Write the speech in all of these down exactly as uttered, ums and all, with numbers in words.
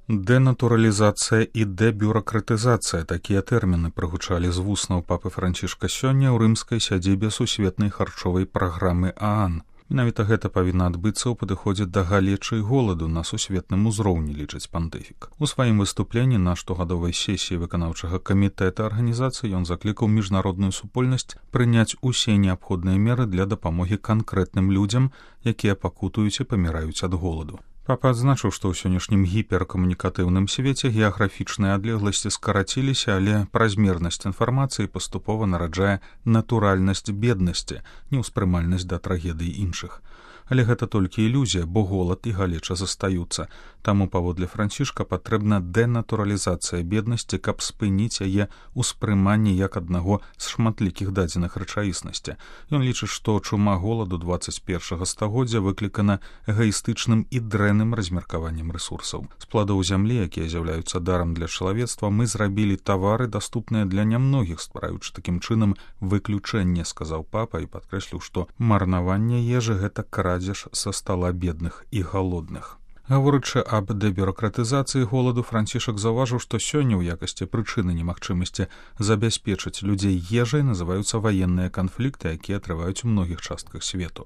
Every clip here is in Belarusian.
Дэнатуралізацыя і дэбюракратызацыя — такія тэрміны прагучалі з вуснаў папы Францішка сёння ў рымскай сядзібе сусветнай харчовай праграмы ААН. Менавіта гэта павінна адбыцца ў падыходзе да галечы і голаду на сусветным узроўні, лічыць пантыфік. У сваім выступленні на штогадовай сесіі выканаўчага камітэта арганізацыі ён заклікаў міжнародную супольнасць прыняць усе неабходныя меры для дапамогі канкрэтным людзям, якія пакутуюць і паміраюць ад голаду. Папа адзначыў, што ў сённяшнім гіперкамунікатыўным свеце геаграфічныя адлегласці скараціліся, але празмернасць інфармацыі паступова нараджае натуральнасць беднасці, неўспрымальнасць да трагедый іншых. Але гэта толькі ілюзія, бо голад і галеча застаюцца. Таму, паводле Францішка, патрэбна дэнатуралізацыя беднасці, каб спыніць яе ўспрыманне як аднаго з шматлікіх дадзеных рэчаіснасці. Ён лічыць, што чума голаду дваццаць першага стагоддзя выклікана эгаістычным і дрэнным размеркаваннем рэсурсаў. З пладоў зямлі, якія з'яўляюцца дарам для чалавецтва, мы зрабілі тавары, даступныя для нямногіх, ствараючы такім чынам выключэнне, сказаў папа і падкрэсліў, што марнаванне ежы — гэта крадзеж са стала бедных і галодных. Гаворачы аб дэбюракратызацыі голаду, Францішак заўважыў, што сёння ў якасці прычыны немагчымасці забяспечыць людзей ежай называюцца ваенныя канфлікты, якія трываюць у многіх частках свету.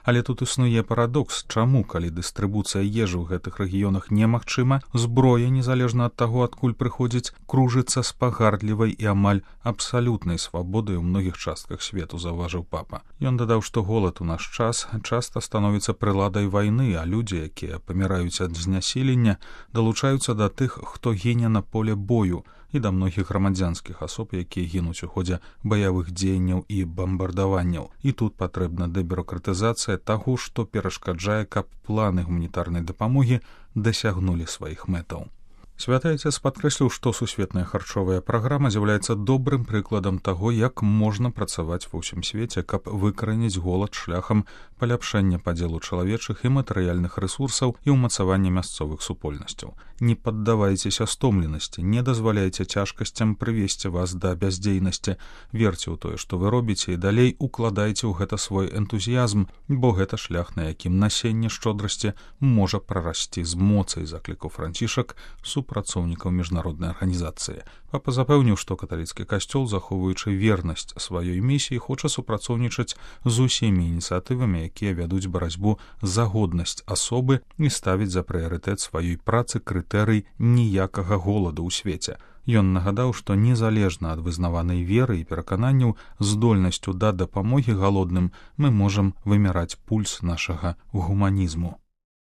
Але тут існуе парадокс, чаму, калі дыстрыбуцыя ежы ў гэтых рэгіёнах немагчыма, зброя, незалежна ад таго, адкуль прыходзіць, кружыцца з пагардлівай і амаль абсалютнай свабодай у многіх частках свету, заўважыў папа. Ён дадаў, што голад у наш час часта становіцца прыладай вайны, а людзі, якія паміраюць ад знясілення, далучаюцца да тых, хто гіне на поле бою, і да многіх грамадзянскіх асоб, якія гінуць у ходзе баявых дзеянняў і бамбардаванняў. І тут патрэбна дэбюракратызацыя таго, што перашкаджае, каб планы гуманітарнай дапамогі дасягнулі сваіх мэтаў. Святы Айцец падкрэсліў, што сусветная харчовая праграма з'яўляецца добрым прыкладам таго, як можна працаваць ва ўсім свеце, каб выкараніць голад шляхам паляпшэння падзелу чалавечых і матэрыяльных рэсурсаў і ўмацавання мясцовых супольнасцяў. Не паддавайцеся стомленасці, не дазваляйце цяжкасцям прывесці вас да бяздзейнасці, верце ў тое, што вы робіце, і далей укладайце ў гэта свой энтузіязм, бо гэта шлях, на якім насенне шчодрасці можа прарасці з моцай, заклікаў Францішак супрацоўнікаў міжнароднай арганізацыі. Папа запэўніў, што каталіцкі касцёл, захоўваючы вернасць сваёй місіі, хоча супрацоўнічаць з усімі ініцыятывамі, якія вядуць барацьбу за годнасць асобы і ставіць за прыярытэт сваёй працы крытэрый ніякага голаду ў свеце. Ён нагадаў, што незалежна ад вызнаванай веры і перакананняў, здольнасцю да дапамогі галодным мы можам вымяраць пульс нашага гуманізму.